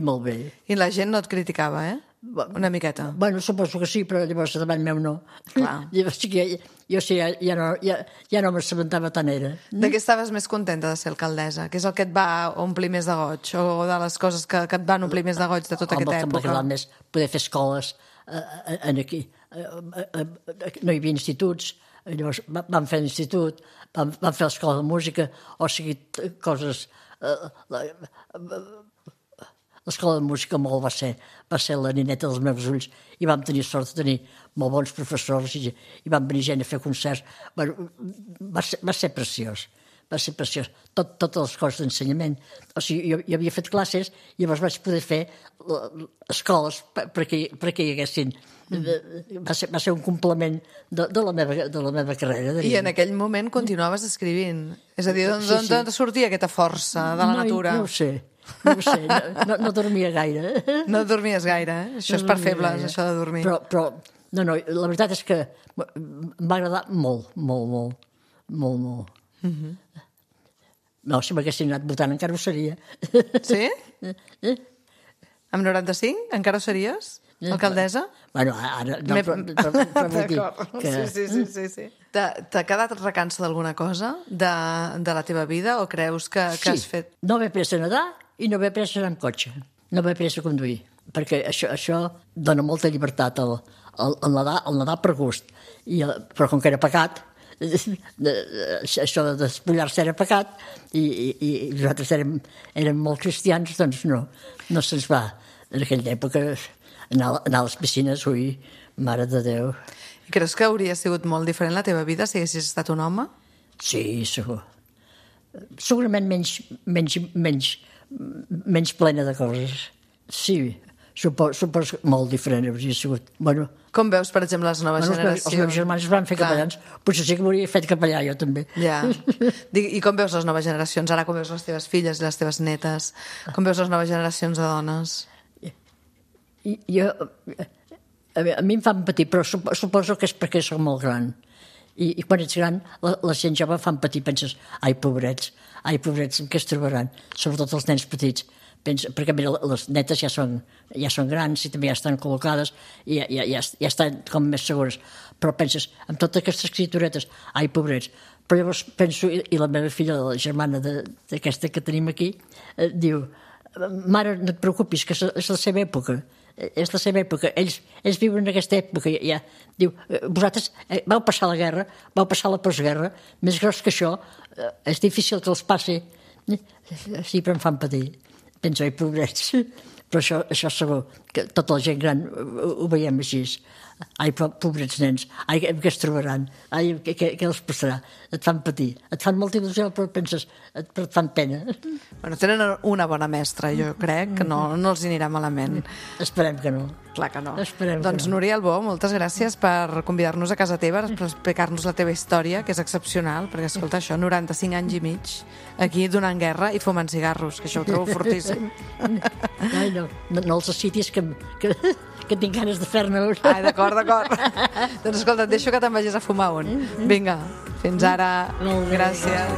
molt bé. I la gent no et criticava, Una miqueta. Suposo que sí, però llavors davant meu no. Clar. Llavors jo sí, ja no m'assabentava tant era. De què estaves més contenta de ser alcaldessa? Què és el que et va omplir més de goig? O de les coses que et van omplir més de goig de tota aquesta època? M'ha agradat més poder fer escoles aquí. No hi havia instituts, llavors vam fer l'institut, vam fer l'escola de música, o sigui, coses... L'escola de música molt va ser la nineta dels meus ulls, i vam tenir sort de tenir molt bons professors, i van venir gent a fer concerts. Va ser preciós. Totes les coses d'ensenyament. O sigui, jo havia fet classes, i llavors vaig poder fer escoles perquè hi haguessin. Va ser un complement de la meva carrera. I en aquell moment continuaves escrivint. És a dir, d'on sortia aquesta força de la natura? No ho sé. No dormia gaire. No dormies gaire, Això és per febles, això de dormir. Però la veritat és que m'ha agradat molt. No, si m'haguessin anat votant encara ho seria. Sí? Amb 95 encara ho series? Alcaldessa? Ara no, però vull dir que... Sí. T'ha quedat recança d'alguna cosa de la teva vida, o creus que has fet... No haver pres a nedar i no haver pres a anar amb cotxe. No haver pres a conduir. Perquè això dona molta llibertat al nedar per gust. Però com que era pecat, això de despullar-se era pecat i nosaltres érem molt cristians, doncs no se'ns va en aquella època anar a les piscines, ui, mare de Déu. I creus que hauria sigut molt diferent la teva vida si haguessis estat un home? Sí, segur. Segurament menys plena de coses. Sí, suposo molt diferent hauria sigut. Bueno, com veus, per exemple, les noves generacions? Els meus germans es van fer capellans, potser sí que m'hauria fet capellà jo també. Ja. I com veus les noves generacions? Ara com veus les teves filles i les teves netes? Com veus les noves generacions de dones? A mi em fan patir, però suposo que és perquè soc molt gran. I quan ets gran, la gent jove fan patir, penses, ai, pobrets, en què es trobaran? Sobretot els nens petits. Perquè mira, les netes ja són grans i també ja estan col·locades i ja estan com més segures. Però penses, amb totes aquestes criaturetes, ai, pobrets. Però llavors penso, i la meva filla, la germana d'aquesta que tenim aquí, diu, mare, no et preocupis, que és la seva època. És la seva època, ells viuen en aquesta època ja. Diu, vosaltres vau passar la guerra, vau passar la postguerra, més gros que això, és difícil que els passi. Sí, però em fan patir. Penso, ai, pobrets. Però això segur, que tota la gent gran ho veiem així. Ai, pobrets nens, ai, què es trobaran? Ai, què els passarà? Et fan patir, et fan molta il·lusió, però penses, però et fan pena. Bueno, tenen una bona mestra, jo crec, que no els anirà malament. Esperem que no. Clar que no. Doncs Núria Albó, moltes gràcies per convidar-nos a casa teva, per explicar-nos la teva història, que és excepcional, perquè, escolta, això, 95 anys i mig, aquí donant guerra i fumant cigarros, que això ho trobo fortíssim. Ai, no els citis que tinc ganes de fer-ne un. Ai, d'acord. Doncs escolta, et deixo que te'n vagis a fumar un. Vinga, fins ara. Gràcies.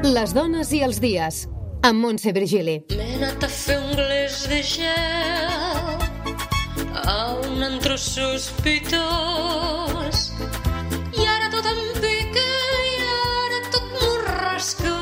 Les dones i els dies, amb Montse Virgili. M'he anat a fer un glés de gel a un antro sospitós i ara tot em pica i ara tot m'ho rasca.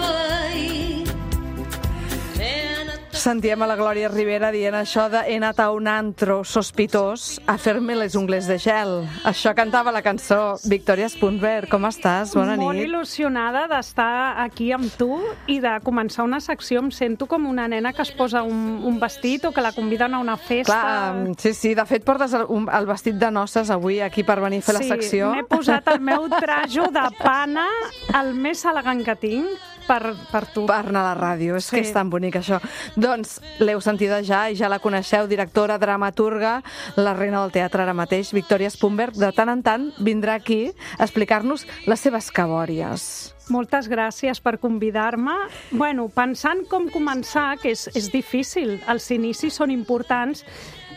Sentíem a la Glòria Rivera dient això de he anat a un antro sospitós a fer-me les ungles de gel. Això cantava la cançó. Victòria Spunberg, com estàs? Bona nit. Molt il·lusionada d'estar aquí amb tu i de començar una secció. Em sento com una nena que es posa un vestit o que la conviden a una festa. Clar, sí. De fet, portes el vestit de noces avui aquí per venir a fer la secció. Sí, m'he posat el meu trajo de pana, el més elegant que tinc, per tu. Per anar a la ràdio, és que és tan bonic això. Doncs l'heu sentida ja i ja la coneixeu, directora, dramaturga, la reina del teatre ara mateix, Victòria Spunberg. De tant en tant vindrà aquí a explicar-nos les seves cabòries. Moltes gràcies per convidar-me. Bueno, pensant com començar, que és difícil, els inicis són importants,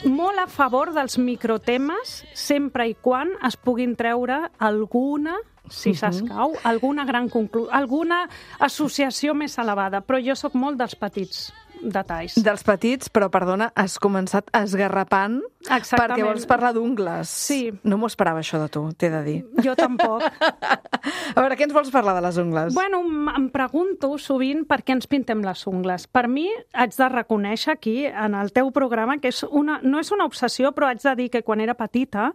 molt a favor dels microtemes, sempre i quan es puguin treure alguna, si s'escau, alguna alguna associació més elevada, però jo sóc molt dels petits detalls. Dels petits, però, perdona, has començat esgarrapant. Exactament. Perquè vols parlar d'ungles. Sí. No m'ho esperava, això de tu, t'he de dir. Jo tampoc. A veure, què ens vols parlar de les ungles? Bueno, em pregunto sovint per què ens pintem les ungles. Per mi, haig de reconèixer aquí, en el teu programa, que no és una obsessió, però haig de dir que quan era petita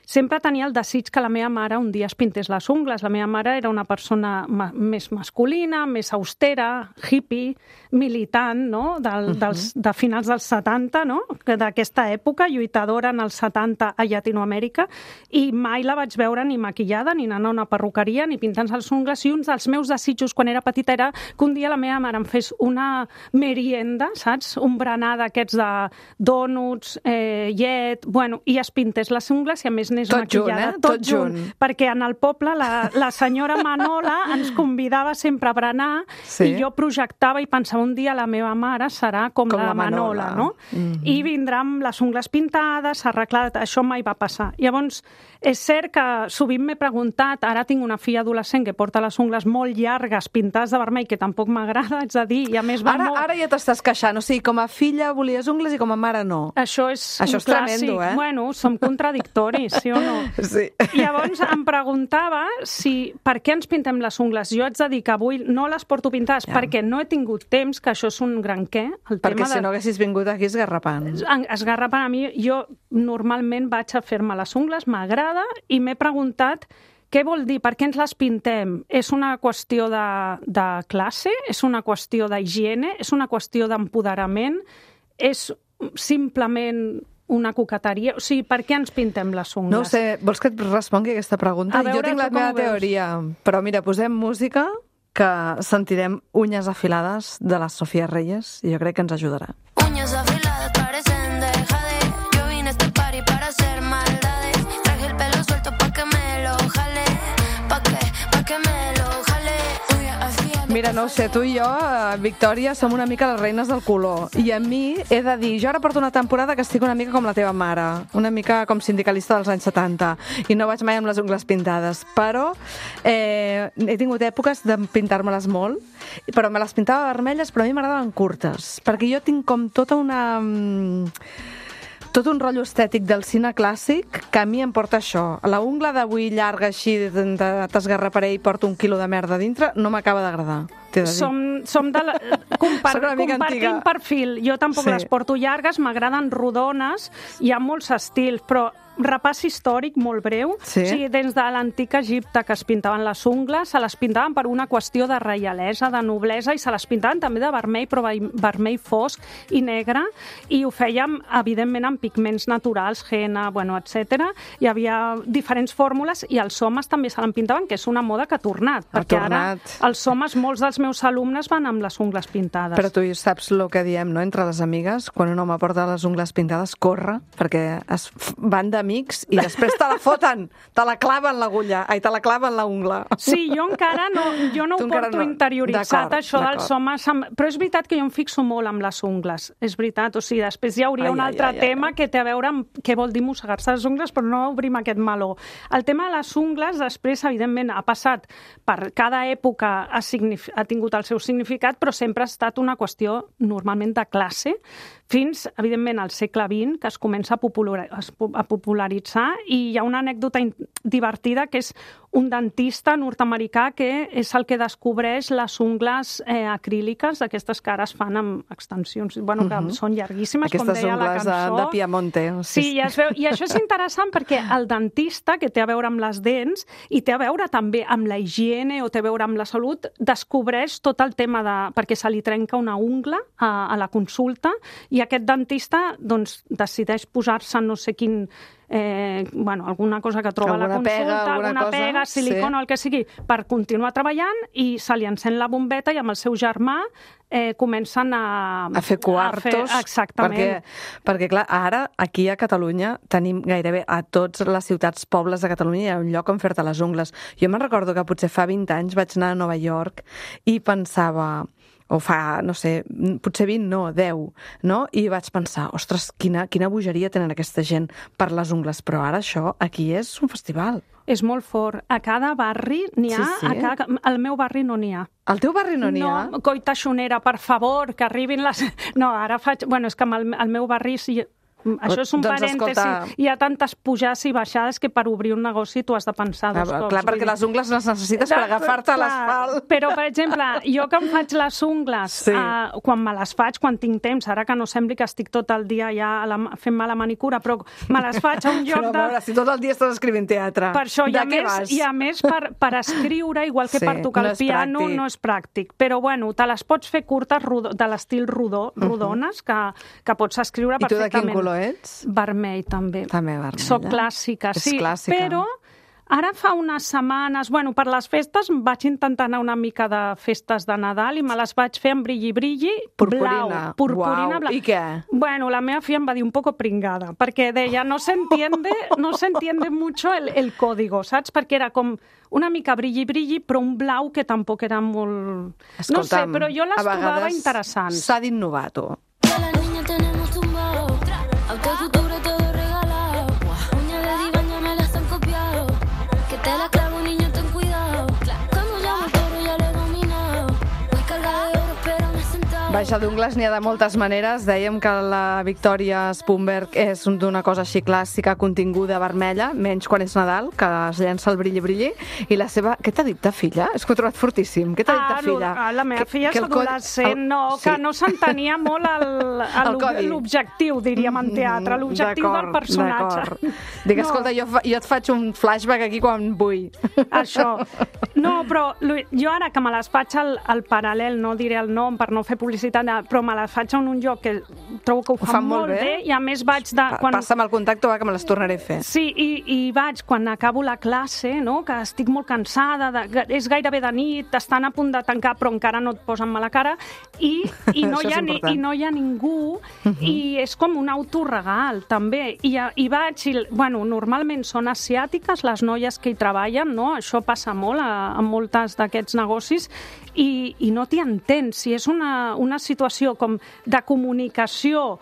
sempre tenia el desig que la meva mare un dia es pintés les ungles. La meva mare era una persona més masculina, més austera, hippie, militant, no? De finals dels 70, no? D'aquesta època, lluitadora en els 70 a Llatinoamèrica, i mai la vaig veure ni maquillada, ni anant a una perruqueria, ni pintant-se les ungles, i un dels meus desitjos quan era petita era que un dia la meva mare em fes una merienda, saps? Un berenar d'aquests de dònuts, llet, bueno, i es pintés les ungles i a més anés maquillada. Tot junt. Perquè en el poble la senyora Manola ens convidava sempre a berenar i jo projectava i pensava un dia la meva mare serà com la Manola, no? I vindrà amb les ungles pintades, arreglat, això mai va passar. Llavors, és cert que sovint m'he preguntat, ara tinc una filla adolescent que porta les ungles molt llargues, pintades de vermell, que tampoc m'agrada, haig de dir, i a més va molt... Ara ja t'estàs queixant, o sigui, com a filla volies ungles i com a mare no. Això és tremendo, eh? Bueno, som contradictoris. sí o no? Sí. Llavors em preguntava per què ens pintem les ungles. Jo haig de dir que avui no les porto pintades perquè no he tingut temps, que això és un gran què. Perquè si no haguessis vingut aquí esgarrapant. Esgarrapant a mi, jo normalment vaig a fer-me les ungles, m'agrada, i m'he preguntat què vol dir, per què ens les pintem? És una qüestió de classe? És una qüestió d'higiene? És una qüestió d'empoderament? És simplement una coqueteria? O sigui, per què ens pintem les ungles? No ho sé, vols que et respongui aquesta pregunta? Jo tinc la meva teoria, però mira, posem música que sentirem Uñas afilades de la Sofía Reyes i jo crec que ens ajudarà. Uñas afiladas parecen de jade. Yo vine a este party para hacer maldades. Traje el pelo suelto pa' que me lo jale. Pa' que me lo jale. Mira, no ho sé, tu i jo, Victòria, som una mica les reines del color. I a mi he de dir, jo ara porto una temporada que estic una mica com la teva mare, una mica com sindicalista dels anys 70, i no vaig mai amb les ungles pintades, però he tingut èpoques de pintar-me-les molt, però me les pintava vermelles, però a mi m'agradaven curtes, perquè jo tinc com tot un rotllo estètic del cine clàssic que a mi em porta això. La ungla d'avui llarga així, t'esgarraparé i porto 1 quilo de merda dintre, no m'acaba d'agradar. Som de la... compartim perfil. Jo tampoc les porto llargues, m'agraden rodones, hi ha molts estils, però repàs històric molt breu. Sí? O sigui, des de l'antic Egipte, que es pintaven les ungles, se les pintaven per una qüestió de reialesa, de noblesa, i se les pintaven també de vermell, però vermell fosc i negre, i ho fèiem, evidentment, amb pigments naturals, henna, bueno, etc. Hi havia diferents fórmules, i els homes també se l'empintaven, que és una moda que ha tornat, perquè ara els homes, molts dels meus alumnes van amb les ungles pintades. Però tu saps el que diem, no?, entre les amigues, quan un home porta les ungles pintades, corre, perquè es van d'amics i després te la foten, te la claven l'agulla, te la claven la ungla. Sí, jo encara no, ho porto interioritzat, això dels homes, però és veritat que jo em fixo molt amb les ungles, és veritat, o sigui, després hi hauria un altre tema que té a veure amb què vol dir mossegar-se les ungles, però no obrim aquest meló. El tema de les ungles, després, evidentment, ha passat per cada època, ha tingut el seu significat, però sempre ha estat una qüestió normalment de classe, fins, evidentment, al segle XX, que es comença a popularitzar, i hi ha una anècdota divertida, que és un dentista nord-americà que és el que descobreix les ungles acríliques, aquestes que ara es fan amb extensions, bueno, que són llarguíssimes, com deia la cançó. Aquestes ungles de Piemonte. Sí, i això és interessant perquè el dentista, que té a veure amb les dents, i té a veure també amb la higiene o té a veure amb la salut, descobreix tot el tema perquè se li trenca una ungla a la consulta, i aquest dentista doncs, decideix posar-se no sé quin... alguna cosa que troba a la consulta, alguna pega, silicona, el que sigui, per continuar treballant, i se li encén la bombeta i amb el seu germà comencen a fer quartos. Exactament. Perquè, clar, ara, aquí a Catalunya, tenim gairebé a totes les ciutats, pobles de Catalunya, hi ha un lloc on fer-te les ungles. Jo me'n recordo que potser fa 20 anys vaig anar a Nova York i pensava... o fa, no sé, potser 20, no, 10, no? I vaig pensar, ostres, quina bogeria tenen aquesta gent per les ungles, però ara això aquí és un festival. És molt fort. A cada barri n'hi ha, al meu barri no n'hi ha. Al teu barri no n'hi ha? No, coita xonera, per favor, que arribin les... No, ara faig... Bueno, és que al meu barri... Això és un parèntesi. Hi ha tantes pujades i baixades que per obrir un negoci tu has de pensar dos cops. Clar, perquè les ungles les necessites per agafar-te a l'asfalt. Però, per exemple, jo que em faig les ungles, quan me les faig, quan tinc temps, ara que no sembli que estic tot el dia ja fent-me la manicura, però me les faig a un lloc de... Però a veure, si tot el dia estàs escrivint teatre, per això, i a més per escriure, igual que per tocar el piano, no és pràctic. Però, bueno, te les pots fer curtes de l'estil rodones, que pots escriure perfectament. I tu de quin color ets? Vermell, també. També vermell. Soc clàssica, sí. És clàssica. Però ara fa unes setmanes, per les festes vaig intentar anar una mica de festes de Nadal i me les vaig fer amb brilli-brilli blau. Purpurina blau. I què? Bueno, la meva filla em va dir un poco pringada, perquè deia, no se entiende mucho el código, saps? Perquè era com una mica brilli-brilli, però un blau que tampoc era molt... Escolta'm, no sé, però jo les trobava interessants. S'ha d'innovar, tu. Autocultura todo regalado. Uña de diván ya me las han copiado. Que te la clavo, niño, ten cuidado. Cuando llamo el toro ya le he dominado. Voy cargada de oro, pero me he sentado. Baixa d'ungles n'hi ha de moltes maneres. Dèiem que la Victòria Spumberg és d'una cosa així clàssica, continguda, vermella, menys quan és Nadal, que es llença el brilli-brilli. I la seva... Què t'ha dit ta filla? És que ho he trobat fortíssim. Què t'ha dit ta filla? La meva filla és adolescent, que no s'entenia molt l'objectiu, diríem, en teatre, l'objectiu del personatge. Dic, escolta, jo et faig un flashback aquí quan vull. Això. No, però jo ara que me les faig al paral·lel, no diré el nom per no fer publicitat, però me les faig en un lloc que trobo que ho fan molt bé i a més vaig de... Passa'm el contacte que me les tornaré a fer. Sí, i vaig quan acabo la classe, no? Que estic molt cansada, és gairebé de nit, estan a punt de tancar però encara no et posen mala cara i no hi ha ningú i és com un autoregal també. I vaig, bueno, normalment són asiàtiques les noies que hi treballen, no? Això passa molt en moltes d'aquests negocis i no t'hi entens. Si és una situació com de comunicació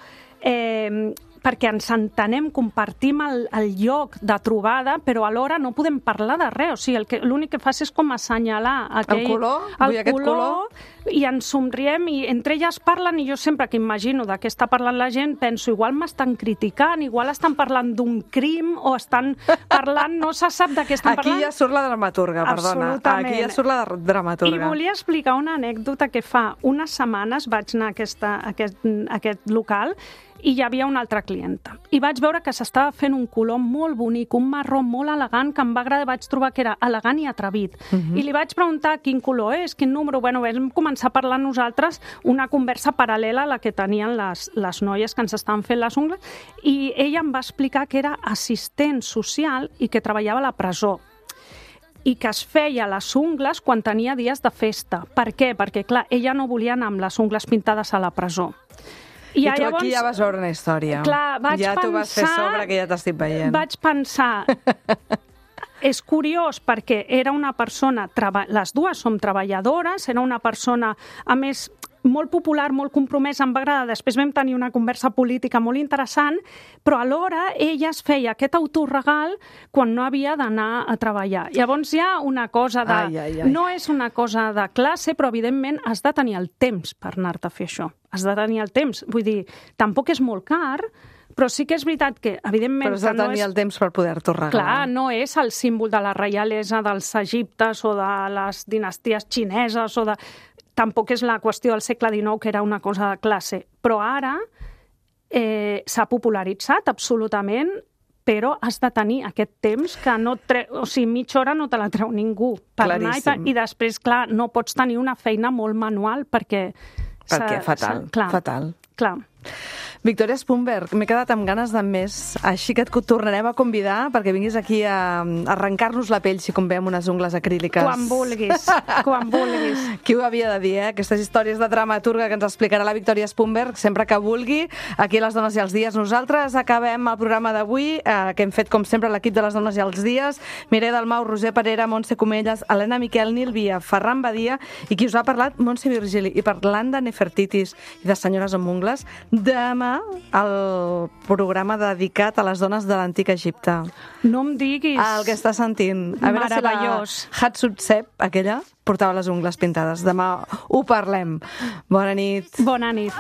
perquè ens entenem, compartim el lloc de trobada, però alhora no podem parlar de res. O sigui, l'únic que fas és com assenyalar el color, i ens somriem i entre elles parlen i jo sempre que imagino de què està parlant la gent penso, igual m'estan criticant, igual estan parlant d'un crim o estan parlant, no se sap de què estan parlant. Aquí ja surt la dramaturga, perdona. Absolutament. Aquí ja surt la dramaturga. I volia explicar una anècdota que fa unes setmanes vaig anar a aquest local i hi havia una altra clienta. I vaig veure que s'estava fent un color molt bonic, un marró molt elegant, que em va agradar, vaig trobar que era elegant i atrevit. I li vaig preguntar quin color és, quin número. Bueno, vam començar a parlar nosaltres una conversa paral·lela a la que tenien les noies que ens estaven fent les ungles, i ella em va explicar que era assistent social i que treballava a la presó i que es feia les ungles quan tenia dies de festa. Per què? Perquè, clar, ella no volia anar amb les ungles pintades a la presó. I tu llavors, aquí ja vas veure una història. Clar, t'ho vas fer sobre, que ja t'estic veient. Vaig pensar... És curiós perquè era una persona... Les dues som treballadores, era una persona, a més, molt popular, molt compromesa, em va agradar. Després vam tenir una conversa política molt interessant, però alhora ella es feia aquest autoregal quan no havia d'anar a treballar. Llavors hi ha una cosa de... No és una cosa de classe, però evidentment has de tenir el temps per anar-te a fer això. Has de tenir el temps. Vull dir, tampoc és molt car, però sí que és veritat que, evidentment... Però has de tenir el temps per poder-t'ho regalar. Clar, no és el símbol de la reialesa dels Egiptes o de les dinasties xineses o de... Tampoc és la qüestió del segle XIX, que era una cosa de classe. Però ara s'ha popularitzat absolutament, però has de tenir aquest temps que no o sigui, mitja hora no te la treu ningú per anar i després, clar, no pots tenir una feina molt manual perquè fatal, fatal. Clar. Victòria Spumberg, m'he quedat amb ganes de més, així que et tornarem a convidar perquè vinguis aquí a arrencar-nos la pell si com veiem unes ungles acríliques. Quan vulguis, quan vulguis. Qui ho havia de dir, Aquestes històries de dramaturga que ens explicarà la Victòria Spumberg sempre que vulgui, aquí a Les Dones i els Dies. Nosaltres acabem el programa d'avui, que hem fet com sempre l'equip de Les Dones i els Dies, Mireia Dalmau, Roser Parera, Montse Comelles, Helena Miquel, Nil Via, Ferran Badia i qui us ha parlat, Montse Virgili. I parlant de Nefertitis i de senyores amb ungles, demà el programa dedicat a les dones de l'antic Egipte. No em diguis. El que està sentint. A veure meravellós. Si la Hatshepsut, aquella, portava les ungles pintades. Demà ho parlem. Bona nit. Bona nit.